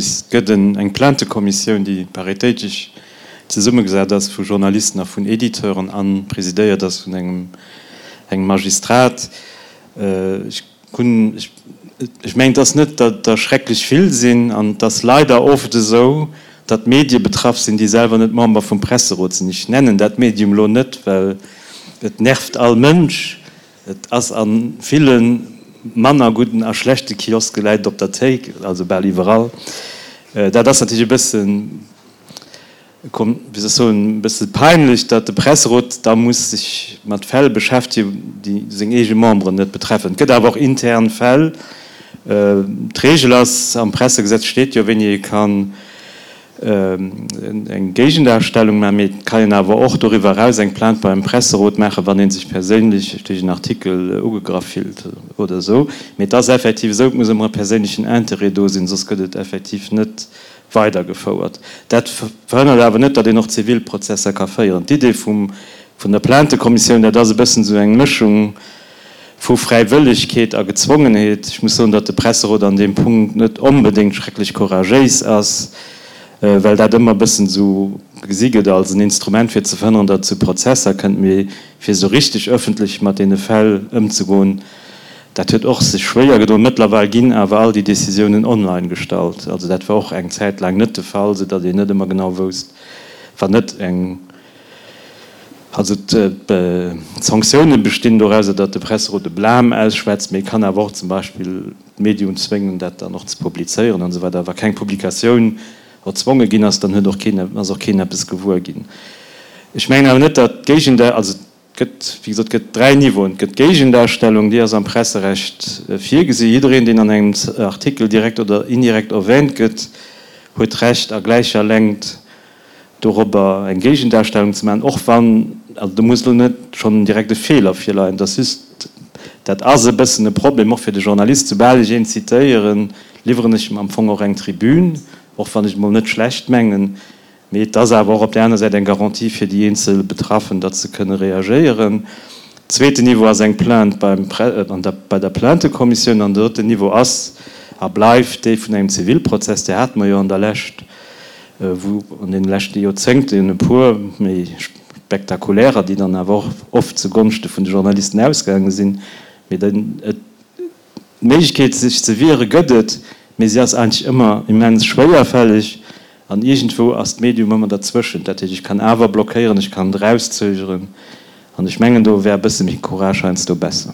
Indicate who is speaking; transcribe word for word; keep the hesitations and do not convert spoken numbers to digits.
Speaker 1: Et gëtt eng Plaintekommissioun, déi paritéitesch zesummegesat ass vu Journalisten a vun Editeuren a presidéiert ass vun engem engem Magistrat. Ech hunn, ech mengen, et ass net, datt der schrecklech vill sinn an et ass leider oft esou, datt Medie betraff sinn, déi selwer net Member vum Presserot sinn. Ech nennen dat Medium elo net, well et nervt all Mënsch. Et ass a ville manner gudden a schlechte Kioske läit et op der Théik, also bal iwwerall. Dat ass natierlech e bëssen, wéi soll ech soen, e bësse peinlech, datt de Presserot da muss sech mat Fäll beschäftegen, déi seng eege Memberen net betreffen. Et gëtt awer och intern Fäll. D'Reegel ass, am Pressegesetz steet jo, wéini ee kann eng Géigendarstellung maachen, mee et kann een awer och doriwwer eraus eng Plainte beim Presserot maachen, wann ee sech perséinlech duerch en Artikel ugegraff fillt oder esou. Mee et ass effektiv esou, et muss ëmmer e perséinlechen Interêt do sinn, soss gëtt et effektiv net weidergefouert. Dat verhënnert awer net, datt een och Zivilprozesser ka féieren. D'Idee vum vun der Plaintekommissioun, dat ass e bëssen esou eng Mëschung vu Fräiwëllegkeet a Gezwongenheet. Ech muss soen, datt de Presserot an deem Punkt net onbedéngt schrecklech couragéis ass, well dat ëmmer e bëssen esou gesi gëtt als en Instrument, fir ze verhënneren, datt et zu Prozesser kënnt. Mee fir esou richteg ëffentlech mat deene Fäll ëmzegoen, dat huet och sech schwéier gedoen. Mëttlerweil ginn awer all déi Decisiounen online gestallt. Also dat war och eng Zäit laang net de Fall, soudatt een net ëmmer genau wousst, wann net eng, also d'Sanktioune bestinn dorauser, datt de Presserot e Blâme ausschwätzt, mee e kann awer och zum Beispill d'Medium zwéngen, dat dann och ze publizéieren an esou weider. Wa keng Publikatioun erzwonge ginn ass, dann huet och keen, ass och keen eppes gewuer ginn. Ech mengen awer net, datt d'Géigendar, also et gëtt, wéi gesot, et gëtt dräi Niveauen. Et gëtt d'Géigendarstellung, déi ass am Presserecht virgesi. Jiddereen, deen an engem Artikel direkt oder indirekt erwähnt gëtt, huet d'Recht a gläicher Längt dorobber eng Géigendarstellung ze maachen, och wann, also do muss elo net schonn direkt e Feeler virleien, et ass just, dat ass e bëssen e Problem och fir de Journalist, soubal ech een zitéieren, liwweren ech em am Fong och eng Tribün, och wann ech et mol net schlecht mengen, mee et ass awer och op där aner Säit eng Garantie fir déi eenzel Betraffen, datt se kënne reagéieren. Zweeten Niveau ass eng Plainte beim, an der, bei der Plaintekommissioun an den drëtten Niveau ass a bleift dee vun engem Zivilprozess, där hate mer jo an der Lescht, wou an deene leschte Joerzéngten e puer méi spektakulärer, déi dann awer och oft zu Gonschte vun de Journalisten ausgaange sinn, mee den, et, d'Méiglechkeet sech ze wiere gëtt et, mee si ass eigentlech ëmmer immens schwéierfälleg an iergendwou ass d'Medium ëmmer derzwëschent. Dat heescht, ech kann awer blockéieren, ech kann et erauszögeren an ech mengen, do wär e bësse méi Courage heiansdo besser.